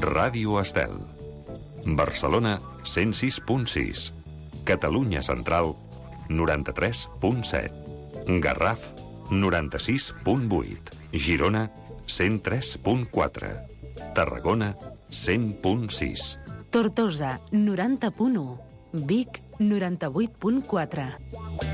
Ràdio Estel. Barcelona, 106.6. Catalunya Central, 93.7. Garraf, 96.8. Girona, 103.4. Tarragona, 100.6. Tortosa, 90.1. Vic, 98.4.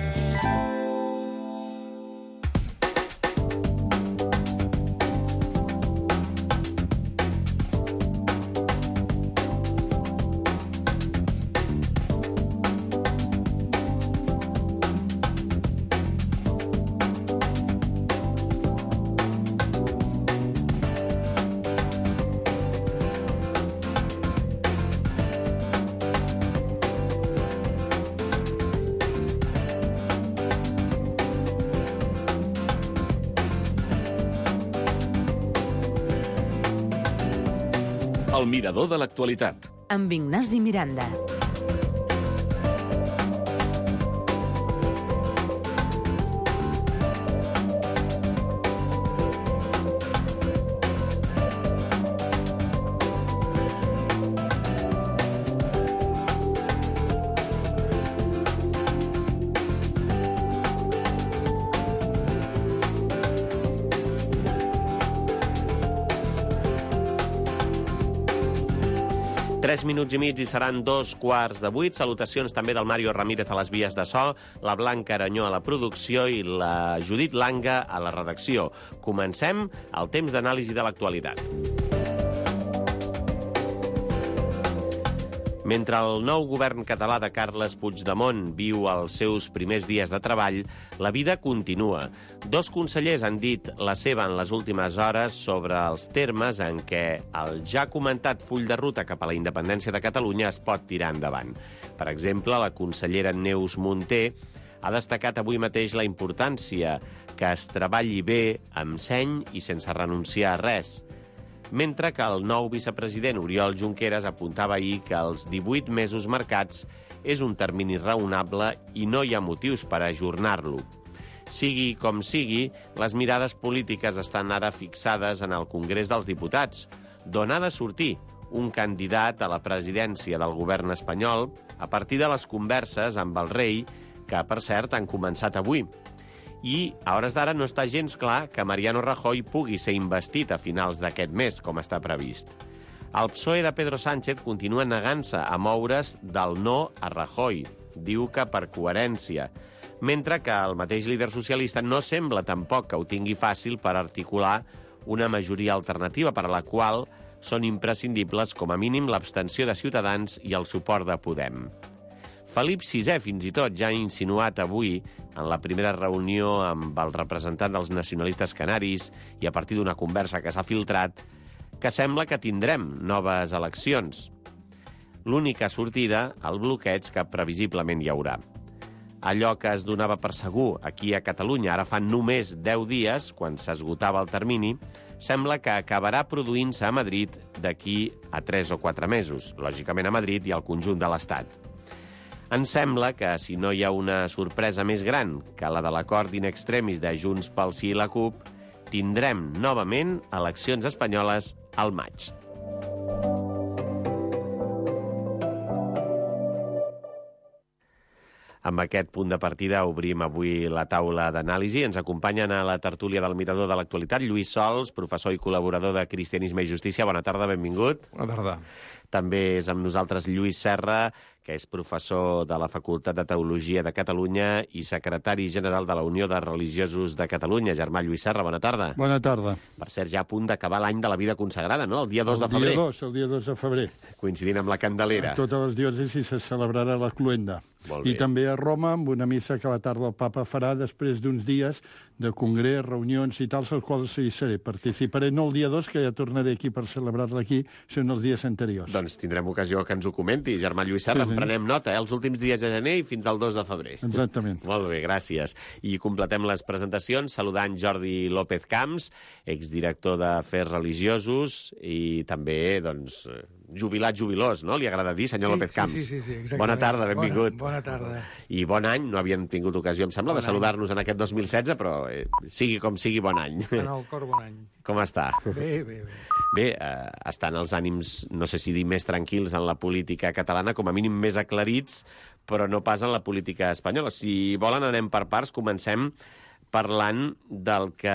El mirador de l'actualitat. Amb Ignasi Miranda. Tres minuts i mig i seran 2:15. Salutacions també del Mario Ramírez a les vies de so, la Blanca Aranyó a la producció i la Judit Langa a la redacció. Comencem el temps d'anàlisi de l'actualitat. Mentre el nou govern català de Carles Puigdemont viu els seus primers dies de treball, la vida continua. Dos consellers han dit la seva en les últimes hores sobre els termes en què el ja comentat full de ruta cap a la independència de Catalunya es pot tirar endavant. Per exemple, la consellera Neus Munté ha destacat avui mateix la importància que es treballi bé, amb seny i sense renunciar a res, mentre que el nou vicepresident Oriol Junqueras apuntava ahir que els 18 mesos marcats és un termini raonable i no hi ha motius per ajornar-lo. Sigui com sigui, les mirades polítiques estan ara fixades en el Congrés dels Diputats, d'on ha de sortir un candidat a la presidència del govern espanyol a partir de les converses amb el rei, que, per cert, han començat avui. I a hores d'ara no està gens clar que Mariano Rajoy pugui ser investit a finals d'aquest mes, com està previst. El PSOE de Pedro Sánchez continua negant-se a moure's del no a Rajoy. Diu que per coherència. Mentre que el mateix líder socialista no sembla tampoc que ho tingui fàcil per articular una majoria alternativa per a la qual són imprescindibles com a mínim l'abstenció de Ciutadans i el suport de Podem. Felip VI, fins i tot, ja ha insinuat avui, en la primera reunió amb el representant dels nacionalistes canaris i a partir d'una conversa que s'ha filtrat, que sembla que tindrem noves eleccions. L'única sortida, el bloqueig que previsiblement hi haurà. Allò que es donava per segur aquí a Catalunya ara fa només 10 dies, quan s'esgotava el termini, sembla que acabarà produint-se a Madrid d'aquí a 3 o 4 mesos, lògicament a Madrid i al conjunt de l'Estat. Ens sembla que, si no hi ha una sorpresa més gran que la de l'acord in extremis de Junts pel Sí i la CUP, tindrem novament eleccions espanyoles al maig. Amb aquest punt de partida obrim avui la taula d'anàlisi. Ens acompanyen a la tertúlia del Mirador de l'Actualitat Lluís Sols, professor i col·laborador de Cristianisme i Justícia. Bona tarda, benvingut. Bona tarda. També és amb nosaltres Lluís Serra, que és professor de la Facultat de Teologia de Catalunya i secretari general de la Unió de Religiosos de Catalunya. Germà Lluís Serra, bona tarda. Bona tarda. Per cert, ja a punt d'acabar l'any de la vida consagrada, no? El dia 2 de febrer. El dia 2 de febrer. Coincidint amb la Candelera. A totes les diòcesis se celebrarà la Cluenda. I també a Roma, amb una missa que a la tarda el papa farà després d'uns dies de congrés, reunions i tals, als quals hi seré. Participaré no el dia 2, que ja tornaré aquí per celebrar-la aquí, sinó els dies anteriors. Doncs tindrem ocasió que ens ho comenti. Germà Lluís Serra, en prenem nota, els últims dies de gener i fins al 2 de febrer. Exactament. Molt bé, gràcies. I completem les presentacions saludant Jordi López Camps, exdirector d'Afers Religiosos i també, doncs, jubilat jubilós, no? Li agrada dir, senyor López Camps. Sí, exactament. Bona tarda, benvingut. Bona tarda. I bon any, no havíem tingut ocasió, em sembla, de saludar-nos en aquest 2016, però sigui com sigui, bon any. En el cor, bon any. Com està? Bé. Bé, estan els ànims, no sé si dir més tranquils en la política catalana, com a mínim més aclarits, però no pas en la política espanyola. Si volen, anem per parts, comencem parlant del que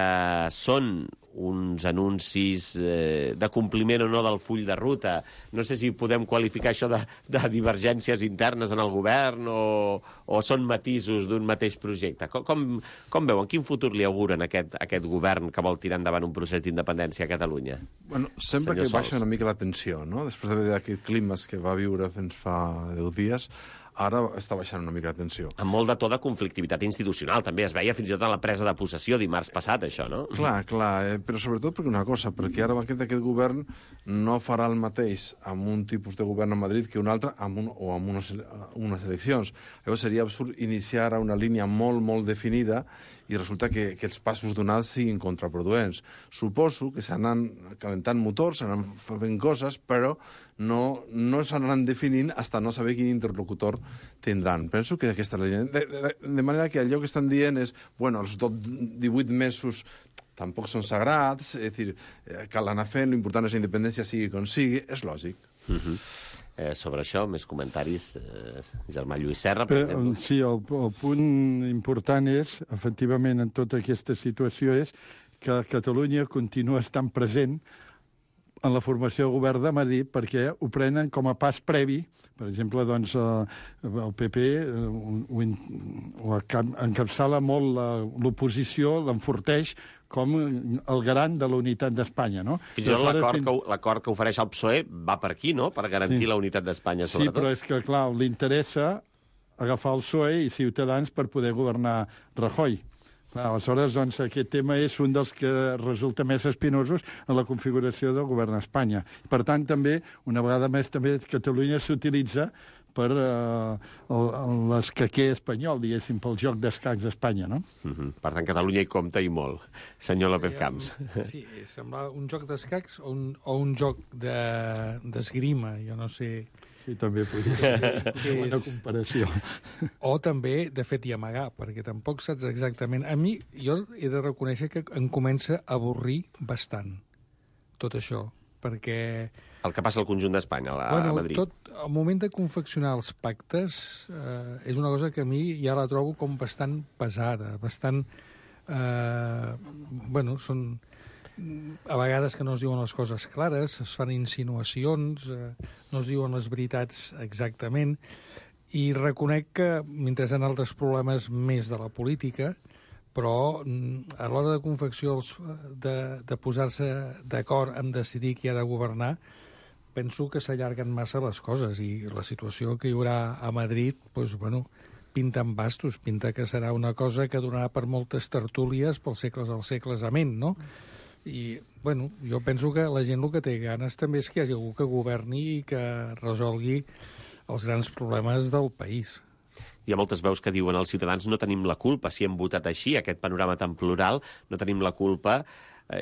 són uns anuncis de compliment o no del full de ruta. No sé si podem qualificar això de divergències internes en el govern o són matisos d'un mateix projecte. Com veuen? Quin futur li auguren aquest govern que vol tirar endavant un procés d'independència a Catalunya? Bueno, sembla que baixa una mica la tensió, no? Després d'aquest clima que va viure fins fa 10 dies, ara està baixant una mica la tensió. Amb molt de to de conflictivitat institucional, també es veia fins i tot en la presa de possessió dimarts passat, això, no? Clar, però sobretot perquè una cosa, perquè ara aquest govern no farà el mateix amb un tipus de govern a Madrid que un altre amb unes eleccions. Llavors seria absurd iniciar una línia molt, molt definida i resulta que els passos donats siguin contraproduents. Suposo que s'anan calentant motors, s'anan fent coses, però no s'anaran definint fins no saber quin interlocutor tindran. Penso que aquesta línia... De manera que allò que estan dient és, bueno, els 18 mesos tampoc són sagrats, és a dir, cal anar fent, l'important és la independència sigui com sigui, és lògic. Sobre això, més comentaris, germà Lluís Serra, per exemple. Sí, el punt important és, efectivament, en tota aquesta situació, és que Catalunya continua estant present en la formació del govern de Madrid perquè ho prenen com a pas previ. Per exemple, doncs, el PP encapçala molt l'oposició, l'enforteix com el garant de la unitat d'Espanya, no? Fins i tot l'acord que ofereix el PSOE va per aquí, no?, per garantir la unitat d'Espanya, sobretot. Sí, però és que, clar, li interessa agafar el PSOE i Ciutadans per poder governar Rajoy. Aleshores, doncs, aquest tema és un dels que resulta més espinosos en la configuració del govern d'Espanya. Per tant, també, una vegada més, també Catalunya s'utilitza per l'escaquer espanyol, diguéssim, pel joc d'escacs d'Espanya, no? Per tant, Catalunya hi compta i molt. Senyor López Camps. Sí, sembla un joc d'escacs o un joc d'esgrima, jo no sé... Sí, també podria ser una comparació. O també, de fet, i amagar, perquè tampoc saps exactament... A mi, jo he de reconèixer que em comença a avorrir bastant tot això, perquè... El que passa al conjunt d'Espanya, a Madrid. El moment de confeccionar els pactes és una cosa que a mi ja la trobo com bastant pesada, bastant... són... A vegades que no es diuen les coses clares, es fan insinuacions, no es diuen les veritats exactament, i reconec que, mentre hi ha altres problemes més de la política, però a l'hora de confecció de posar-se d'acord en decidir qui ha de governar, penso que s'allarguen massa les coses, i la situació que hi haurà a Madrid, pinta en bastos, pinta que serà una cosa que donarà per moltes tertúlies pels segles als segles amén, no? I, jo penso que la gent el que té ganes també és que hi hagi algú que governi i que resolgui els grans problemes del país. Hi ha moltes veus que diuen els ciutadans no tenim la culpa si hem votat així, aquest panorama tan plural, no tenim la culpa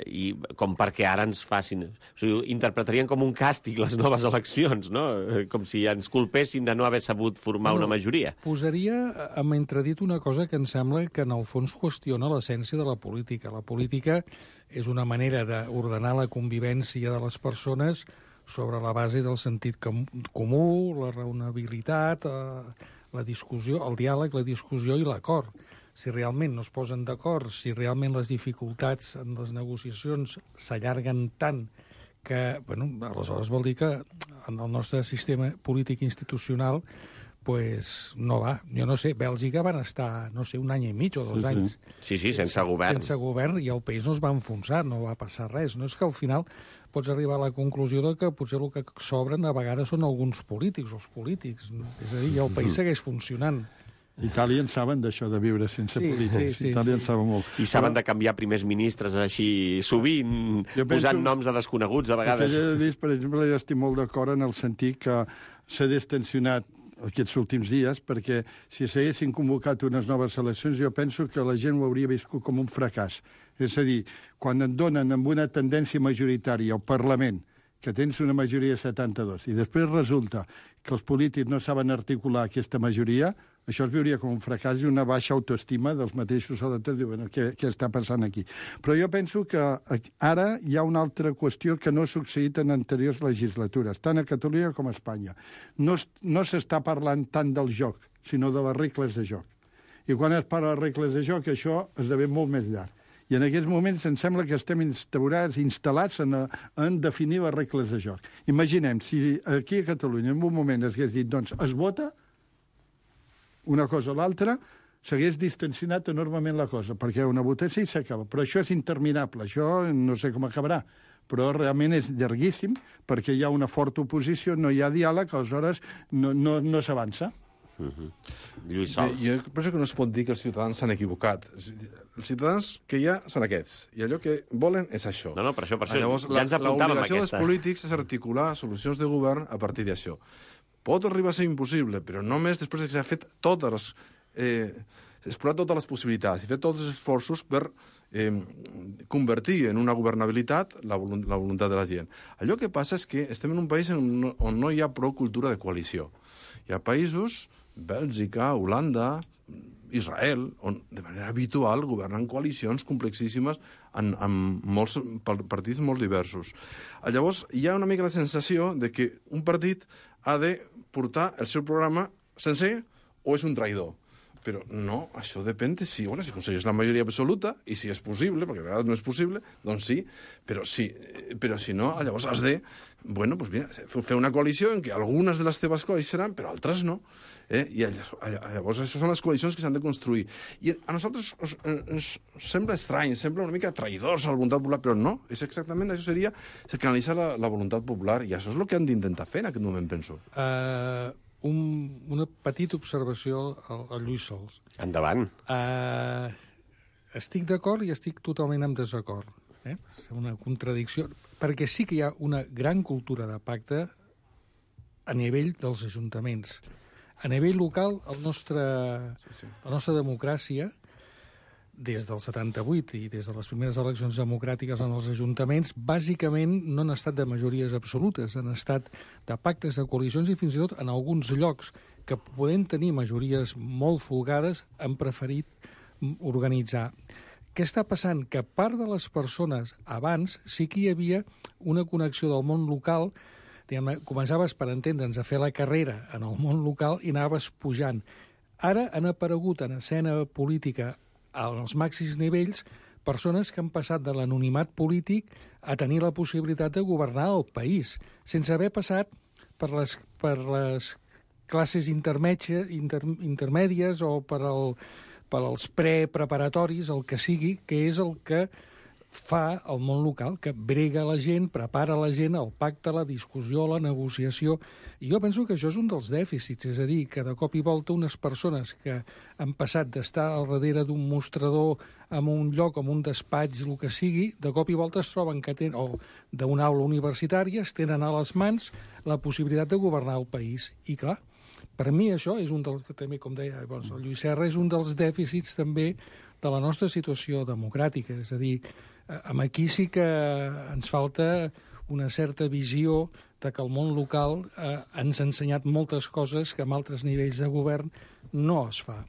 i com perquè ara ens facin... O sigui, interpretarien com un càstig les noves eleccions, no? Com si ens culpessin de no haver sabut formar una majoria. Posaria en entredit una cosa que em sembla que en el fons qüestiona l'essència de la política. La política és una manera d'ordenar la convivència de les persones sobre la base del sentit comú, la raonabilitat, la discussió, el diàleg, la discussió i l'acord. Si realment no es posen d'acord, si realment les dificultats en les negociacions s'allarguen tant que, aleshores vol dir que en el nostre sistema polític institucional no va. Jo no sé, Bèlgica van estar, un any i mig o 2 anys. Sí, sense govern. Sense govern, i el país no es va enfonsar, no va passar res. No és que al final pots arribar a la conclusió de que potser el que sobren a vegades són alguns polítics, els polítics. És a dir, el país segueix funcionant. Itàlia en saben d'això, de viure sense polítics. Itàlia en saben molt. I saben de canviar primers ministres així sovint, posant noms de desconeguts a vegades. Per exemple, jo estic molt d'acord en el sentit que s'ha destensionat aquests últims dies, perquè si s'haguessin convocat unes noves eleccions, jo penso que la gent ho hauria viscut com un fracàs. És a dir, quan et donen amb una tendència majoritària al Parlament que tens una majoria de 72, i després resulta que els polítics no saben articular aquesta majoria, això es veuria com un fracàs i una baixa autoestima dels mateixos electors. Diuen, què està passant aquí? Però jo penso que ara hi ha una altra qüestió que no ha succeït en anteriors legislatures, tant a Catalunya com a Espanya. No s'està parlant tant del joc, sinó de les regles de joc. I quan es parla de regles de joc, això esdevé molt més llarg. I en aquests moments em sembla que estem instal·lats en definir les regles de joc. Imaginem, si aquí a Catalunya en un moment es hagués dit, doncs, es vota una cosa o l'altra, s'hagués distensionat enormement la cosa, perquè una votació s'acaba. Però això és interminable, això no sé com acabarà, però realment és llarguíssim, perquè hi ha una forta oposició, no hi ha diàleg, aleshores no s'avança. Lluís Sols. Jo penso que no es pot dir que els ciutadans s'han equivocat. Els ciutadans que hi ha són aquests, i allò que volen és això. No, per això Llavors, ja ens apuntàvem l'obligació aquesta. dels polítics és articular solucions de govern a partir d'això. Pot arribar a ser impossible, però només després que s'ha fet explorar totes les possibilitats i fer tots els esforços per convertir en una governabilitat la voluntat de la gent. Allò que passa és que estem en un país on no hi ha prou cultura de coalició. Hi ha països, Bèlgica, Holanda, Israel, on de manera habitual governen coalicions complexíssimes amb molts partits molt diversos. Llavors, hi ha una mica la sensació de que un partit ha de portar el seu programa sencer o és un traïdor. Però no, això depèn de si aconsegueix la majoria absoluta, i si és possible, perquè a vegades no és possible, doncs sí, però si no, llavors has de, fer una coalició en què algunes de les teves coses seran, però altres no. I llavors això són les coalicions que s'han de construir. I a nosaltres ens sembla estrany, sembla una mica traïdors a la voluntat popular, però no, és exactament això seria canalitzar la voluntat popular, i això és el que han d'intentar fer en aquest moment, penso. Una petita observació al Lluís Sols. Endavant. Estic d'acord i estic totalment en desacord. És una contradicció, perquè sí que hi ha una gran cultura de pacte a nivell dels ajuntaments. A nivell local, la nostra democràcia, des del 78 i des de les primeres eleccions democràtiques en els ajuntaments, bàsicament no han estat de majories absolutes, han estat de pactes, de coalicions, i fins i tot en alguns llocs que podent tenir majories molt folgades han preferit organitzar. Què està passant? Que part de les persones abans sí que hi havia una connexió del món local, començaves, per entendre'ns, a fer la carrera en el món local i anaves pujant. Ara han aparegut en escena política als màxims nivells persones que han passat de l'anonimat polític a tenir la possibilitat de governar el país, sense haver passat per les classes intermèdies o per als preparatoris, el que sigui, que és el que fa el món local, que brega la gent, prepara la gent, el pacte, la discussió, la negociació. I jo penso que això és un dels dèficits, és a dir, que de cop i volta unes persones que han passat d'estar al darrere d'un mostrador en un lloc, en un despatx, el que sigui, de cop i volta es troben que tenen, o d'una aula universitària, es tenen a les mans la possibilitat de governar el país. I clar, per mi això és un dels, també, com deia el Lluís Serra, és un dels dèficits també de la nostra situació democràtica. És a dir, aquí sí que ens falta una certa visió de que el món local ens ha ensenyat moltes coses que en altres nivells de govern no es fa.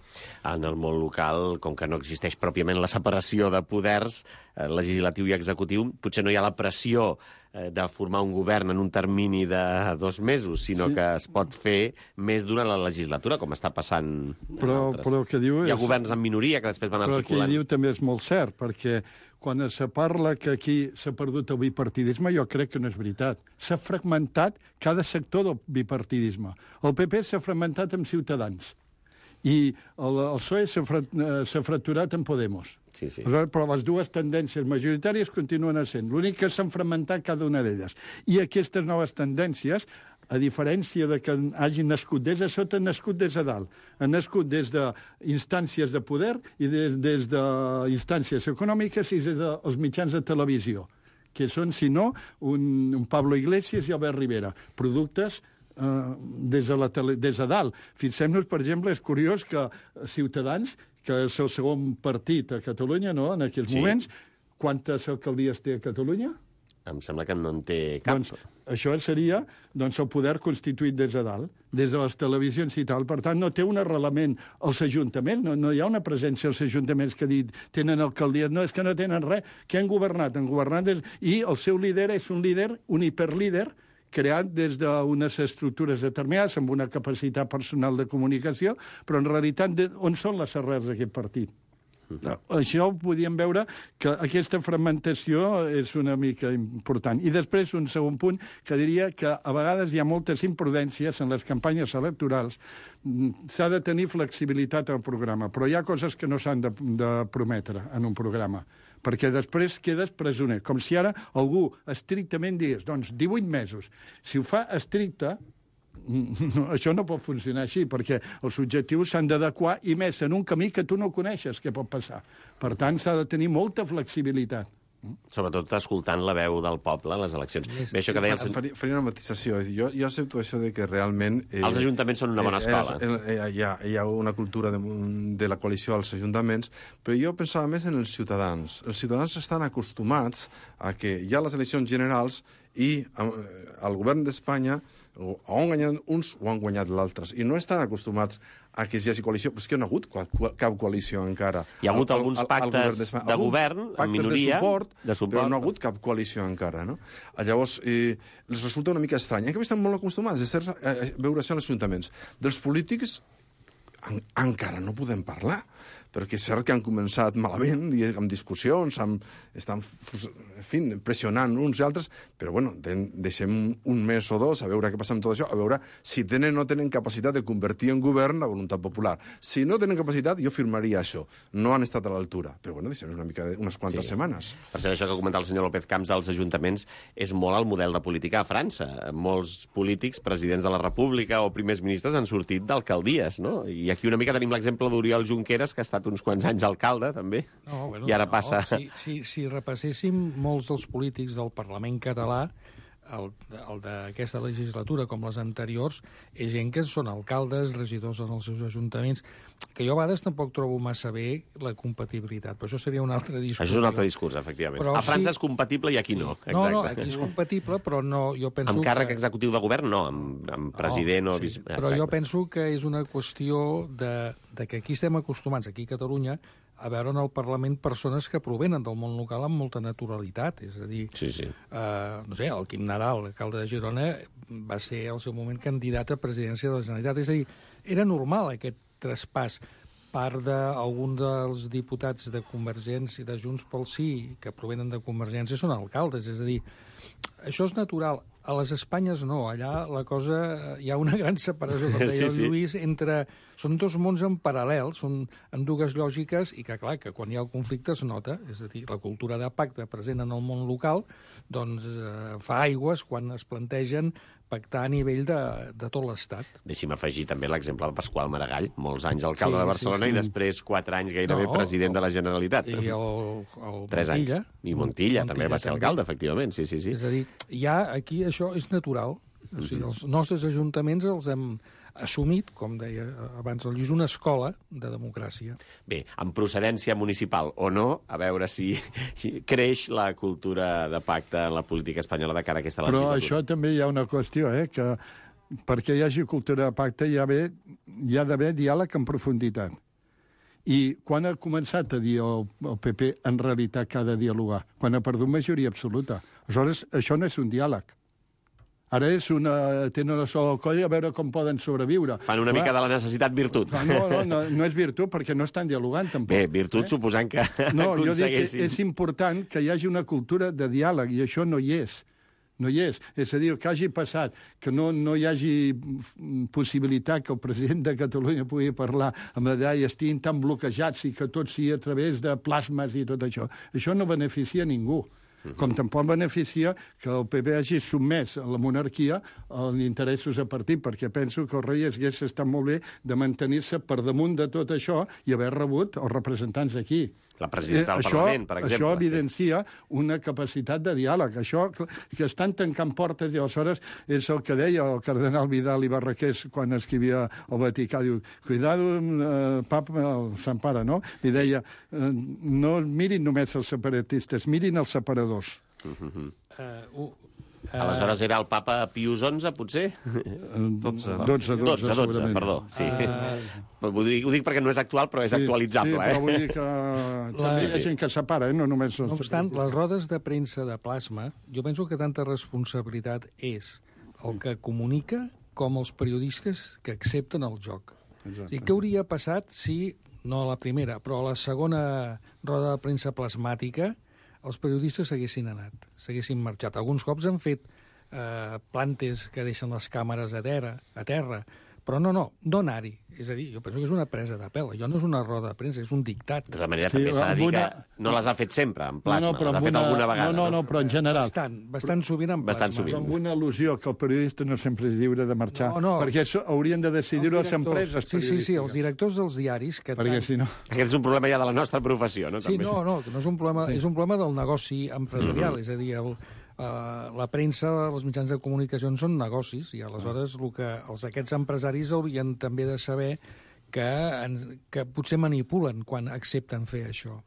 En el món local, com que no existeix pròpiament la separació de poders legislatiu i executiu, potser no hi ha la pressió de formar un govern en un termini de 2 mesos, sinó que es pot fer més durant la legislatura, com està passant però el que diu hi ha governs en minoria que després van articulant. Però el que diu també és molt cert, perquè quan se parla que aquí s'ha perdut el bipartidisme, jo crec que no és veritat. S'ha fragmentat cada sector del bipartidisme. El PP s'ha fragmentat amb Ciutadans i el PSOE s'ha fracturat amb Podemos. Sí. Però les dues tendències majoritàries continuen essent. L'únic que s'han fragmentat cada una d'elles. I aquestes noves tendències, a diferència de que hagin nascut des de sota, han nascut des de dalt. Han nascut des d'instàncies de poder i des d'instàncies econòmiques i des dels mitjans de televisió, que són, si no, un Pablo Iglesias i Albert Rivera, productes des de dalt. Fixem-nos, per exemple, és curiós que Ciutadans, que és el segon partit a Catalunya, no?, en aquells moments, quantes alcaldies té a Catalunya? em sembla que no en té cap. Doncs això seria el poder constituït des de dalt, des de les televisions i tal. Per tant, no té un arrelament als ajuntaments, no hi ha una presència als ajuntaments que tenen alcaldies. No, és que no tenen res. Què han governat? Han governat i el seu líder és un líder, un hiperlíder, creat des d'unes estructures determinades, amb una capacitat personal de comunicació, però en realitat on són les arrels d'aquest partit? Això ho podíem veure, que aquesta fragmentació és una mica important. I després, un segon punt, que diria que a vegades hi ha moltes imprudències en les campanyes electorals. S'ha de tenir flexibilitat al programa, però hi ha coses que no s'han de prometre en un programa, perquè després quedes presoner. Com si ara algú estrictament digués, doncs 18 mesos. Si ho fa estricte, això no pot funcionar així, perquè els objectius s'han d'adequar, i més en un camí que tu no coneixes què pot passar. Per tant, s'ha de tenir molta flexibilitat. Sobretot escoltant la veu del poble a les eleccions. Bé, això que deia faria una matisació. Jo accepto això de que realment... Els ajuntaments són una bona escola. Hi ha una cultura de la coalició als ajuntaments, però jo pensava més en els ciutadans. Els ciutadans estan acostumats a que hi ha les eleccions generals i el govern d'Espanya o han guanyat uns o han guanyat l'altres. I no estan acostumats a que hi hagi coalició, però és que no ha hagut cap coalició encara. Hi ha hagut alguns pactes de govern, en minoria, de suport, però no ha hagut cap coalició encara. No? Llavors, els resulta una mica estrany. En canvi, estan molt acostumats a veure això als ajuntaments. Dels polítics encara no podem parlar, perquè és cert que han començat malament i amb discussions, estan pressionant uns i altres, però bueno, deixem un mes o dos a veure què passa amb tot això, a veure si tenen o no tenen capacitat de convertir en govern la voluntat popular. Si no tenen capacitat, jo firmaria això. No han estat a l'altura. Però bueno, deixem unes quantes setmanes. Per cert, això que comentava el senyor López Camps dels ajuntaments és molt el model de política a França. Molts polítics, presidents de la República o primers ministres han sortit d'alcaldies, no? I aquí una mica tenim l'exemple d'Oriol Junqueras, que ha estat uns quants anys alcalde, també, i ara passa... Si repasséssim molts dels polítics del Parlament català, el d'aquesta legislatura com les anteriors, és gent que són alcaldes, regidors en els seus ajuntaments, que jo a vegades tampoc trobo massa bé la compatibilitat, però això seria un altre discurs. Això és un altre discurs, efectivament. Però a França és compatible i aquí no. Exacte. No, aquí és compatible, però no, jo penso... Amb càrrec executiu de govern, no, amb president o... Sí, però jo penso que és una qüestió de que aquí estem acostumats, aquí a Catalunya, a veure en el Parlament persones que provenen del món local amb molta naturalitat. És a dir, no sé, el Quim Nadal, l'alcalde de Girona, va ser al seu moment candidat a presidència de la Generalitat. És a dir, era normal aquest traspàs. Part d'algun dels diputats de Convergència i de Junts pel Sí, que provenen de Convergència, són alcaldes. És a dir, això és natural. A les Espanyes no, allà la cosa... Hi ha una gran separació, com deia el Lluís, entre... Són dos mons en paral·lel, són en dues lògiques, i que, clar, que quan hi ha el conflicte es nota. És a dir, la cultura de pacte present en el món local doncs fa aigües quan es plantegen pactar a nivell de tot l'Estat. Deixi'm afegir també l'exemple de Pasqual Maragall, molts anys alcalde de Barcelona i després 4 anys gairebé president de la Generalitat. I el 3 Montilla. Anys. I Montilla també va ser alcalde, efectivament, sí. És a dir, ja aquí això és natural. O sigui, els nostres ajuntaments els hem assumit, com deia abans el Lluís, una escola de democràcia. Bé, amb procedència municipal o no, a veure si creix la cultura de pacte en la política espanyola de cara a aquesta legislatura. Però això també hi ha una qüestió, que perquè hi hagi cultura de pacte hi ha d'haver diàleg en profunditat. I quan ha començat a dir el PP en realitat que ha de dialogar? Quan ha perdut majoria absoluta. Aleshores, això no és un diàleg. Ara tenen una sola al coll a veure com poden sobreviure. Fan una mica de la necessitat virtut. No és virtut, perquè no estan dialogant, tampoc. Bé, virtut suposant que aconsegueixin. Jo dic que és important que hi hagi una cultura de diàleg, i això no hi és. No hi és. És a dir, que hagi passat, que no hi hagi possibilitat que el president de Catalunya pugui parlar amb la idea i estiguin tan bloquejats i que tot sigui a través de plasmes i tot això. Això no beneficia a ningú. Com tampoc beneficia que el PP hagi sotmès a la monarquia als interessos de partit, perquè penso que el rei hagués estat molt bé de mantenir-se per damunt de tot això i haver rebut els representants aquí. La presidenta del Parlament, per exemple. Això evidencia una capacitat de diàleg. Això que estan tancant portes, i aleshores és el que deia el cardenal Vidal i Barraqués quan escrivia al Vaticà. Diu, cuidado, papa, el Sant Pare, no? I deia, no mirin només els separatistes, mirin els separadors. Aleshores era el papa Pius XI, potser? 12, perdó. Sí. Ho dic perquè no és actual, però és actualitzable. Sí, però vull dir que també hi ha gent que separa, no només... No obstant, les rodes de premsa de plasma, jo penso que tanta responsabilitat és el que comunica com els periodistes que accepten el joc. I què hauria passat si, no a la primera, però a la segona roda de premsa plasmàtica, els periodistes s'haguessin anat, s'haguessin marxat. Alguns cops han fet plantes que deixen les càmeres a terra, però no anar-hi. És a dir, jo penso que és una presa de pèl. Allò no és una roda de premsa, és un dictat. De tota manera, també s'ha de dir que no les ha fet sempre, en plasma. Les ha fet alguna vegada. No, però en general. Bastant sovint en plasma. Però amb una al·lusió que el periodista no sempre és lliure de marxar, perquè això haurien de decidir-ho les empreses periodístiques. Sí, els directors dels diaris... Perquè si no... Aquest és un problema ja de la nostra professió, no? Sí, no és un problema, és un problema del negoci empresarial, és a dir, la premsa, els mitjans de comunicació són negocis, i aleshores aquests empresaris haurien també de saber que potser manipulen quan accepten fer això.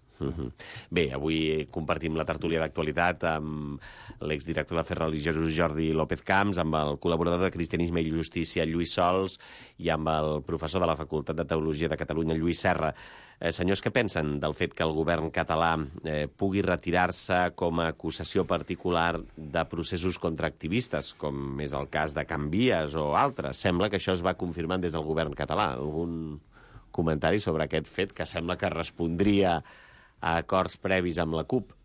Bé, avui compartim la tertúlia d'actualitat amb l'exdirector d'Afers Religiosos Jordi López Camps, amb el col·laborador de Cristianisme i Justícia Lluís Sols i amb el professor de la Facultat de Teologia de Catalunya Lluís Serra. Senyors, què pensen del fet que el govern català pugui retirar-se com a acusació particular de processos contra activistes, com és el cas de Can Vies o altres? Sembla que això es va confirmant des del govern català. Algun comentari sobre aquest fet que sembla que respondria a acords previs amb la CUP?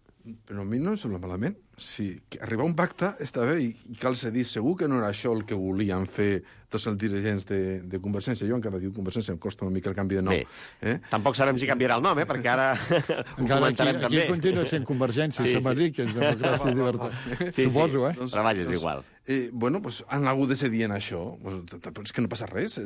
Però a mi no em sembla malament. Si arribar a un pacte està bé i cal ser dit, segur que no era això el que volien fer tots els dirigents de Convergència. Jo encara dic Convergència, em costa una mica el canvi de nom. Bé, tampoc sabem si canviarà el nom, perquè ara ho comentarem també. Aquí continua sent Convergència, se m'ha dit que és democràcia i llibertat. Suposo, Però vaja, és igual. Bueno, pues han hagut de cedir en això. És que no passa res.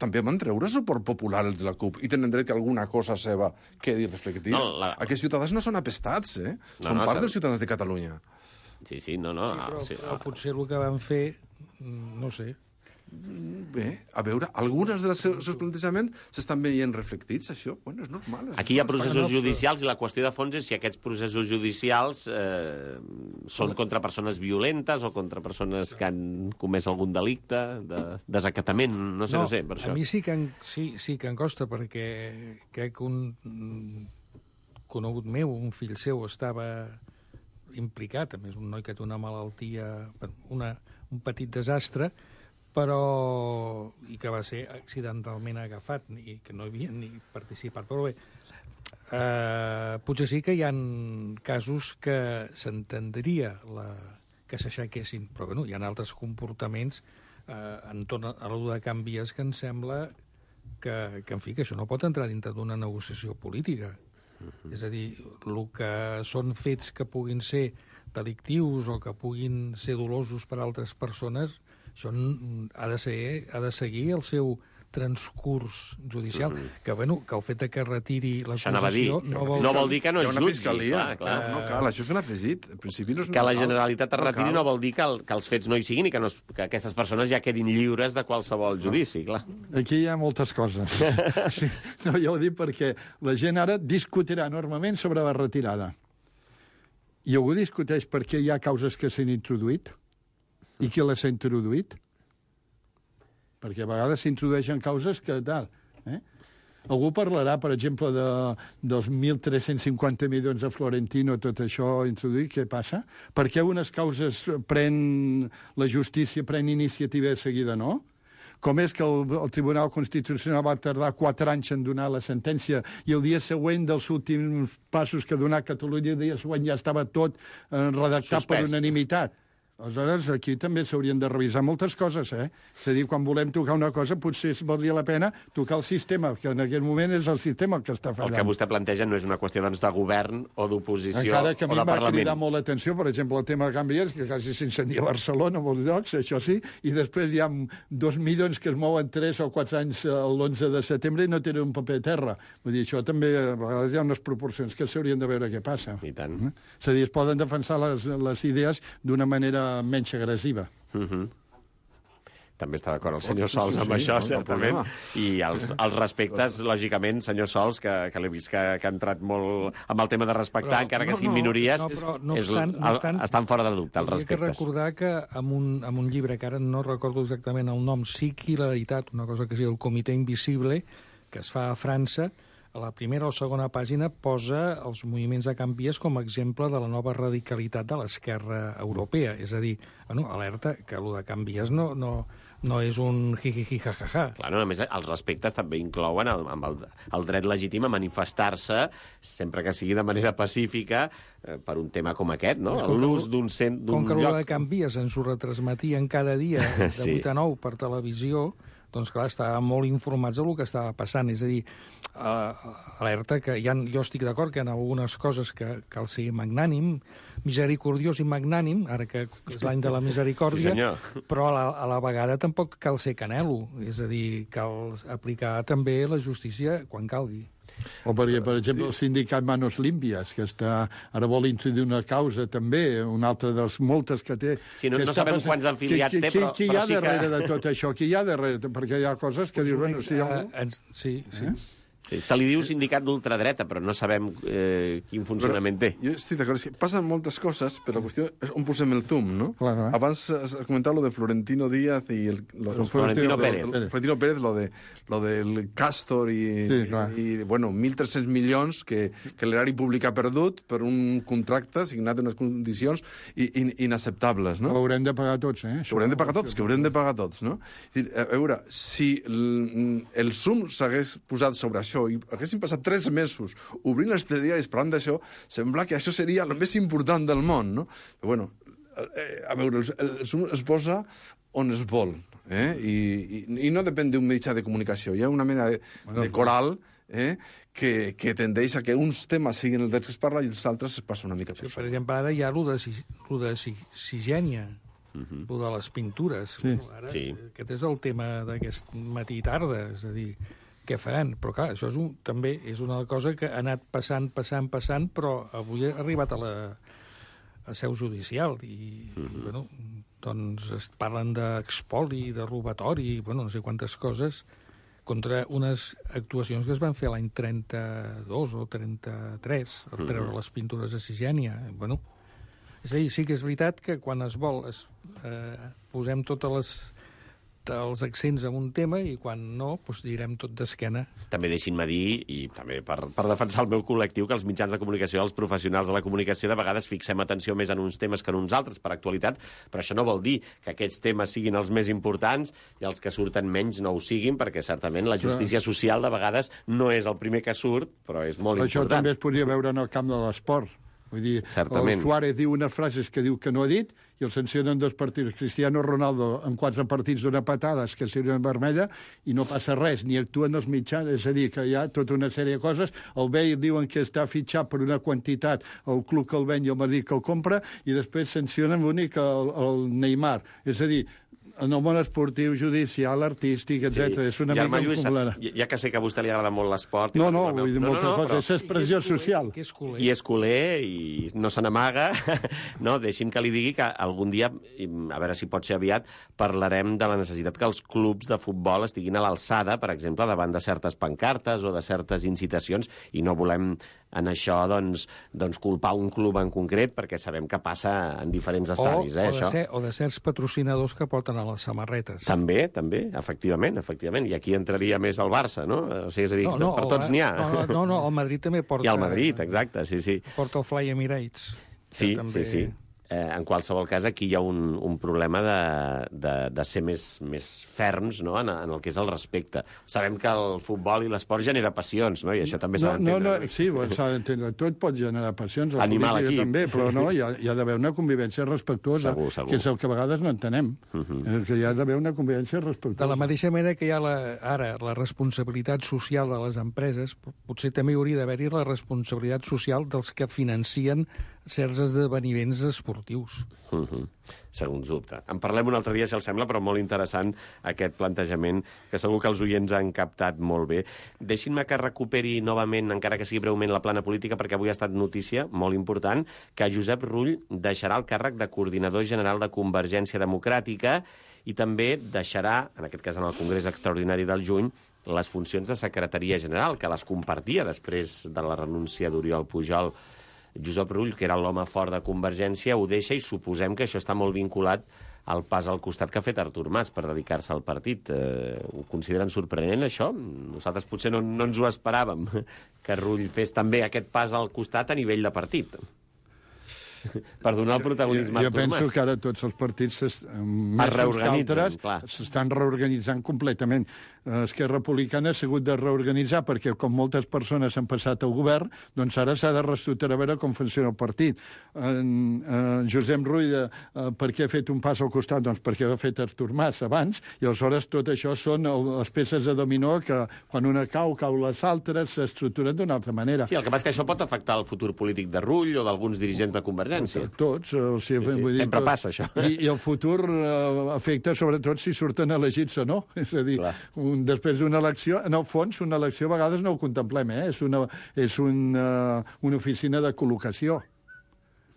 També van treure suport popular els de la CUP i tenen dret que alguna cosa seva quedi reflectida. Aquests ciutadans no són apestats, són part dels ciutadans de Catalunya. Sí, no. Però potser el que van fer, no sé. Bé, a veure, algunes dels seus plantejaments s'estan veient reflectits, això. Bueno, és normal. Aquí hi ha processos judicials i la qüestió de fons és si aquests processos judicials són contra persones violentes o contra persones que han comès algun delicte de desacatament, no sé, per això. A mi sí que em costa, perquè crec que un conegut meu, un fill seu, estava implicat, a més un noi que té una malaltia, un petit desastre, i que va ser accidentalment agafat i que no havia ni participat. Però bé, potser sí que hi ha casos que s'entendria que s'aixequessin, però bueno, hi ha altres comportaments entorn a l'u de Can Vies que em sembla que, en fi, que això no pot entrar dintre d'una negociació política. És a dir, el que són fets que puguin ser delictius o que puguin ser dolosos per a altres persones, això ha de seguir el seu transcurs judicial, que el fet que retiri l'acusació no vol dir que no es jutgi. Clar. No cal, això és un afegit. En principi no és que la Generalitat es retiri no vol dir que els fets no hi siguin i que aquestes persones ja quedin lliures de qualsevol judici, clar. Aquí hi ha moltes coses. Sí, no, jo ho dic perquè la gent ara discutirà enormement sobre la retirada. I algú discuteix per què hi ha causes que s'han introduït i qui les ha introduït. Perquè a vegades s'introdueixen causes que tal. Algú parlarà, per exemple, dels 1.350 milions de Florentino, tot això introduït, què passa? Per què unes causes la justícia pren iniciativa de seguida, no? Com és que el Tribunal Constitucional va tardar 4 anys en donar la sentència i el dia següent dels últims passos que donà Catalunya, el dia següent ja estava tot redactat per unanimitat? Aleshores, aquí també s'haurien de revisar moltes coses, És a dir, quan volem tocar una cosa, potser valdria la pena tocar el sistema, que en aquest moment és el sistema el que està fallant. El que vostè planteja no és una qüestió de govern o d'oposició o de Parlament. Encara que a mi va cridar molt l'atenció, per exemple, el tema de Can Vies, que quasi s'incendia a Barcelona, a molts llocs, això sí, i després hi ha 2 milions que es mouen 3 o 4 anys l'11 de setembre i no tenen un paper a terra. Vull dir, això també, a vegades hi ha unes proporcions que s'haurien de veure què passa. I tant. És a dir, es poden defensar les idees d'una manera menys agressiva. també està d'acord el senyor Sols amb això, certament. I els respectes, lògicament, senyor Sols, que l'he vist que ha entrat molt amb el tema de respectar, encara que siguin minories, estan fora de dubte, els respectes. He de recordar que amb un llibre, que ara no recordo exactament el nom, Psiqui la veritat, una cosa que es diu El Comitè Invisible, que es fa a França, a la primera o segona pàgina posa els moviments de Can Vies com a exemple de la nova radicalitat de l'esquerra europea. És a dir, alerta que el de Can Vies no és un jijiji jajaja. Clar, a més, els respectes també inclouen el dret legítim a manifestar-se, sempre que sigui de manera pacífica, per un tema com aquest, no? L'ús d'un lloc. Com que el de Can Vies ens ho retransmetien cada dia de 8 a 9 per televisió, doncs clar, estàvem molt informats del que estava passant. És a dir, alerta que jo estic d'acord que hi ha algunes coses que cal ser magnànim, misericordiós i magnànim, ara que és l'any de la misericòrdia, però a la vegada tampoc cal ser canelo. És a dir, cal aplicar també la justícia quan calgui. O perquè, per exemple, el sindicat Manos Limpias, que ara vol introduir una causa també, una altra de les moltes que té... Sí, no sabem quants afiliats té, però qui hi ha darrere de tot això? Qui hi ha darrere? Perquè hi ha coses que dius, bueno, si hi ha... Sí. Se li diu sindicat d'ultradreta, però no sabem quin funcionament té. Jo estic d'acord, passen moltes coses, però la qüestió és on posem el zoom, no? Claro, Abans has comentat lo de Florentino Díaz i Florentino Pérez. Florentino Pérez, lo del Castor i bueno, 1.300 milions que l'erari públic ha perdut per un contracte signat en unes condicions inacceptables, no? Ho haurem de pagar tots, eh? Ho haurem de pagar tots, no? A veure, si el zoom s'hagués posat sobre això i haguessin passat 3 mesos obrint els diaris parlant d'això, sembla que això seria el més important del món, no? Però, bueno, a veure, el zoom es posa on es vol, i no depèn d'un mitjà de comunicació. Hi ha una mena de coral que tendeix a que uns temes siguin el que es parla i els altres es passa una mica per sobre. Per exemple, ara hi ha lo de Sigènia, lo de les pintures. Aquest és el tema d'aquest matí i tarda, és a dir, què faran? Però clar, això també és una cosa que ha anat passant, però avui ha arribat a seu judicial i, bueno, doncs es parlen d'expoli, de robatori, bueno, no sé quantes coses, contra unes actuacions que es van fer l'any 32 o 33, al treure les pintures a Sigènia. Bueno, és a dir, sí que és veritat que quan es vol posem totes els accents en un tema i quan no, doncs direm tot d'esquena. També deixin-me dir, i també per defensar el meu col·lectiu, que els mitjans de comunicació, els professionals de la comunicació, de vegades fixem atenció més en uns temes que en uns altres, per actualitat, però això no vol dir que aquests temes siguin els més importants i els que surten menys no ho siguin, perquè certament la justícia social de vegades no és el primer que surt, però és molt important. Això també es podria veure en el camp de l'esport. Vull dir, el Suárez diu unes frases que diu que no ha dit i el sancionen 2 partits. Cristiano Ronaldo en 4 partits dona patades que sirven vermella i no passa res, ni actuen els mitjans. És a dir, que hi ha tota una sèrie de coses. El Bale diuen que està fitxat per una quantitat, el club que el ven i el Madrid que el compra, i després sancionen l'únic el Neymar. És a dir, en el món esportiu, judicial, artístic, etc. És una mica complicada. Ja que sé que a vostè li agrada molt l'esport... No, vull dir moltes coses. És expressió social. I és culer, i no se n'amaga. No, deixi'm que li digui que algun dia, a veure si pot ser aviat, parlarem de la necessitat que els clubs de futbol estiguin a l'alçada, per exemple, davant de certes pancartes o de certes incitacions, i no volem en això doncs culpar un club en concret, perquè sabem que passa en diferents estadis. O de certs patrocinadors que porten a les samarretes. També, efectivament. I aquí entraria més el Barça, no? O sigui, és a dir, per tots n'hi ha. No, el Madrid també porta... I el Madrid, exacte, sí. Porta el Fly Emirates. Sí. En qualsevol cas, aquí hi ha un problema de ser més ferms, no?, en el que és el respecte. Sabem que el futbol i l'esport genera passions, no?, i això també s'ha d'entendre. Sí, s'ha d'entendre. Tot pot generar passions, la política també, però no, hi ha d'haver una convivència respectuosa, segur. Que és el que a vegades no entenem, que hi ha d'haver una convivència respectuosa. De la mateixa manera que hi ha ara la responsabilitat social de les empreses, potser també hauria d'haver-hi la responsabilitat social dels que financien certs esdeveniments esportius. Segons dubte. En parlem un altre dia, si els sembla, però molt interessant aquest plantejament, que segur que els oients han captat molt bé. Deixin-me que recuperi novament, encara que sigui breument, la plana política, perquè avui ha estat notícia, molt important, que Josep Rull deixarà el càrrec de coordinador general de Convergència Democràtica i també deixarà, en aquest cas en el Congrés Extraordinari del juny, les funcions de secretaria general, que les compartia després de la renúncia d'Oriol Pujol. Josep Rull, que era l'home fort de Convergència, ho deixa i suposem que això està molt vinculat al pas al costat que ha fet Artur Mas per dedicar-se al partit. Ho consideren sorprenent, això? Nosaltres potser no ens ho esperàvem, que Rull fes també aquest pas al costat a nivell de partit. Per donar el protagonisme a Artur Mas. Jo penso que ara tots els partits s'estan reorganitzant completament. Esquerra Republicana ha sigut de reorganitzar perquè, com moltes persones han passat al govern, doncs ara s'ha de reestructurar a veure com funciona el partit. Josep Rull, per què ha fet un pas al costat? Doncs perquè ho ha fet Artur Mas abans, i aleshores tot això són les peces de dominó que quan una cau les altres s'estructuren d'una altra manera. Sí, el que passa és que això pot afectar el futur polític de Rull o d'alguns dirigents de Convergència. Tots. Vull dir, sempre passa, això. I el futur afecta sobretot si surten elegits o no. És a dir, després d'una elecció, en el fons, una elecció a vegades no ho contemplem, és una oficina de col·locació.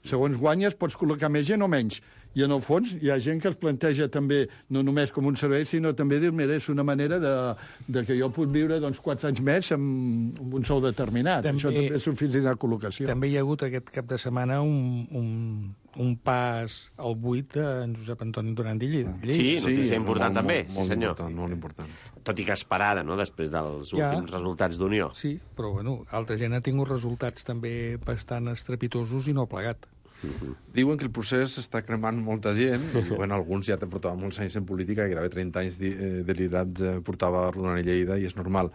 Segons guanyes, pots col·locar més gent o menys. I en el fons hi ha gent que es planteja també, no només com un servei, sinó també dir, mira, és una manera de que jo puc viure 4 anys més amb un sou determinat. Això també és oficina de col·locació. També hi ha hagut aquest cap de setmana un pas al buit d'en Josep Antoni Duran i Lleida. Sí, notícia important també, sí senyor. Molt important. Tot i que esperada, no?, després dels últims resultats d'Unió. Sí, però bueno, altra gent ha tingut resultats també bastant estrepitosos i no ha plegat. Diuen que el procés està cremant molta gent, i bueno, alguns ja portaven molts anys en política, gairebé 30 anys delirats portava Duran i Lleida, i és normal.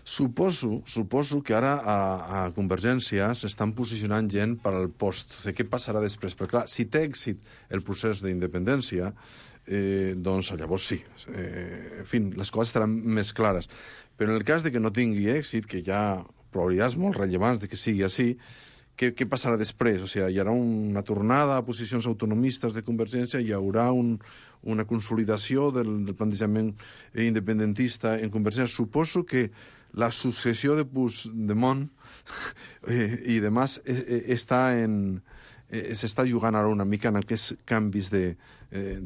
Suposo que ara a Convergència s'estan posicionant gent per al post. Què passarà després? Perquè, clar, si té èxit el procés d'independència, doncs llavors sí. En fi, les coses estaran més clares. Però en el cas de que no tingui èxit, que hi ha probabilitats molt rellevants de que sigui així, què passarà després? O sigui, hi haurà una tornada a posicions autonomistes de Convergència, hi haurà una consolidació del plantejament independentista en Convergència. Suposo que la successió de Puigdemont i de Mas s'està jugant ara una mica en aquests canvis de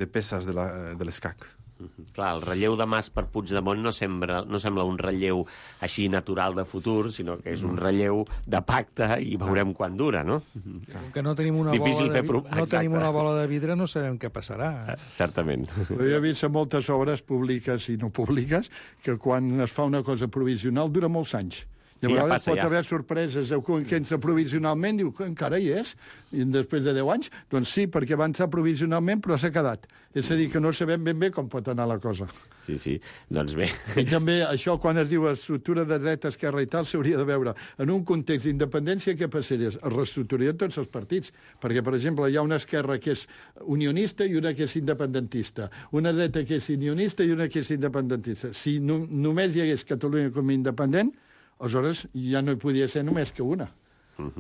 peces de l'escac. Clar, el relleu de Mas per Puigdemont no sembla un relleu així natural de futur, sinó que és un relleu de pacte i veurem quan dura, no? Que no tenim una bola de vidre, no sabem què passarà. Certament. Però jo he vist a moltes obres públiques i no públiques que quan es fa una cosa provisional dura molts anys. I a vegades pot haver sorpreses que entra provisionalment, diu que encara hi és, i després de 10 anys, doncs sí, perquè va entrar provisionalment, però s'ha quedat. És a dir, que no sabem ben bé com pot anar la cosa. Sí, doncs bé. I també això, quan es diu estructura de dreta, esquerra i tal, s'hauria de veure. En un context d'independència, què passaria? Es reestructurarien tots els partits. Perquè, per exemple, hi ha una esquerra que és unionista i una que és independentista. Una dreta que és unionista i una que és independentista. Si només hi hagués Catalunya com a independent, aleshores ja no hi podia ser només que una.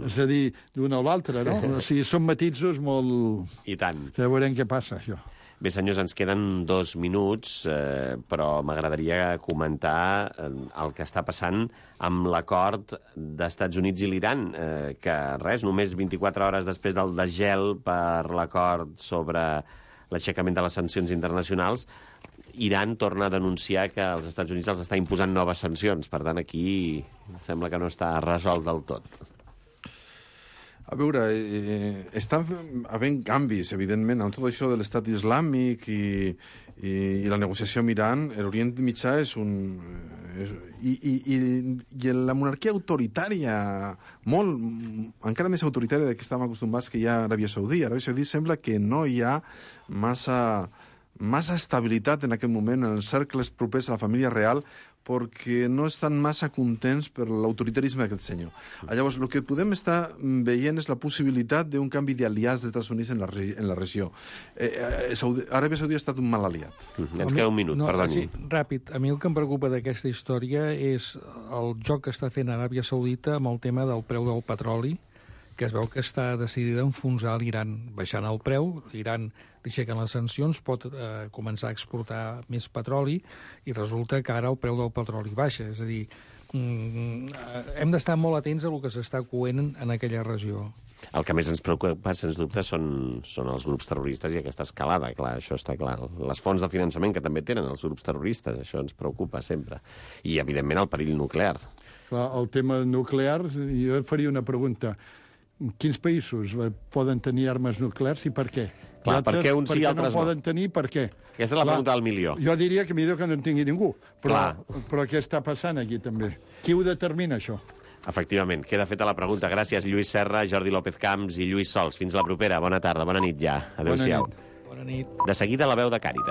És a dir, d'una o l'altra, no? O sigui, són matisos molt... I tant. Ja veurem què passa, això. Bé, senyors, ens queden 2 minuts, però m'agradaria comentar el que està passant amb l'acord d'Estats Units i l'Iran, que res, només 24 hores després del desgel per l'acord sobre l'aixecament de les sancions internacionals, Iran torna a denunciar que els Estats Units els està imposant noves sancions. Per tant, aquí sembla que no està resolt del tot. A veure, estan havent canvis, evidentment, amb tot això de l'estat islàmic i la negociació amb Iran. L'Orient Mitjà és un... I la monarquia autoritària, encara més autoritària que estàvem acostumats que hi ha a Aràbia Saudí. A Aràbia Saudí sembla que no hi ha massa estabilitat en aquest moment en els cercles propers a la família real, perquè no estan massa contents per l'autoritarisme d'aquest senyor. Llavors, el que podem estar veient és la possibilitat d'un canvi d'aliats dels Estats Units en la regió. Aràbia Saudí ha estat un mal aliat. Ens queda un minut, perdoni. Sí, ràpid. A mi el que em preocupa d'aquesta història és el joc que està fent Aràbia Saudita amb el tema del preu del petroli, que es veu que està decidida a enfonsar l'Iran, baixant el preu, l'Iran li aixequen les sancions, pot començar a exportar més petroli i resulta que ara el preu del petroli baixa. És a dir, hem d'estar molt atents a el que s'està coent en aquella regió. El que més ens preocupa, sens dubte, són els grups terroristes i aquesta escalada, clar, això està clar. Les fonts de finançament que també tenen els grups terroristes, això ens preocupa sempre. I, evidentment, el perill nuclear. Clar, el tema nuclear, jo faria una pregunta. Quins països poden tenir armes nuclears i per què? Clar, per què uns sí i altres no? Per què no poden tenir, per què? Aquesta és la pregunta del milió. Jo diria que millor que no en tingui ningú. Però què està passant aquí, també? Qui ho determina, això? Efectivament, queda feta la pregunta. Gràcies, Lluís Serra, Jordi López Camps i Lluís Sols. Fins la propera. Bona tarda, bona nit ja. Adéu-siau. Bona nit. De seguida, la veu de Càritas.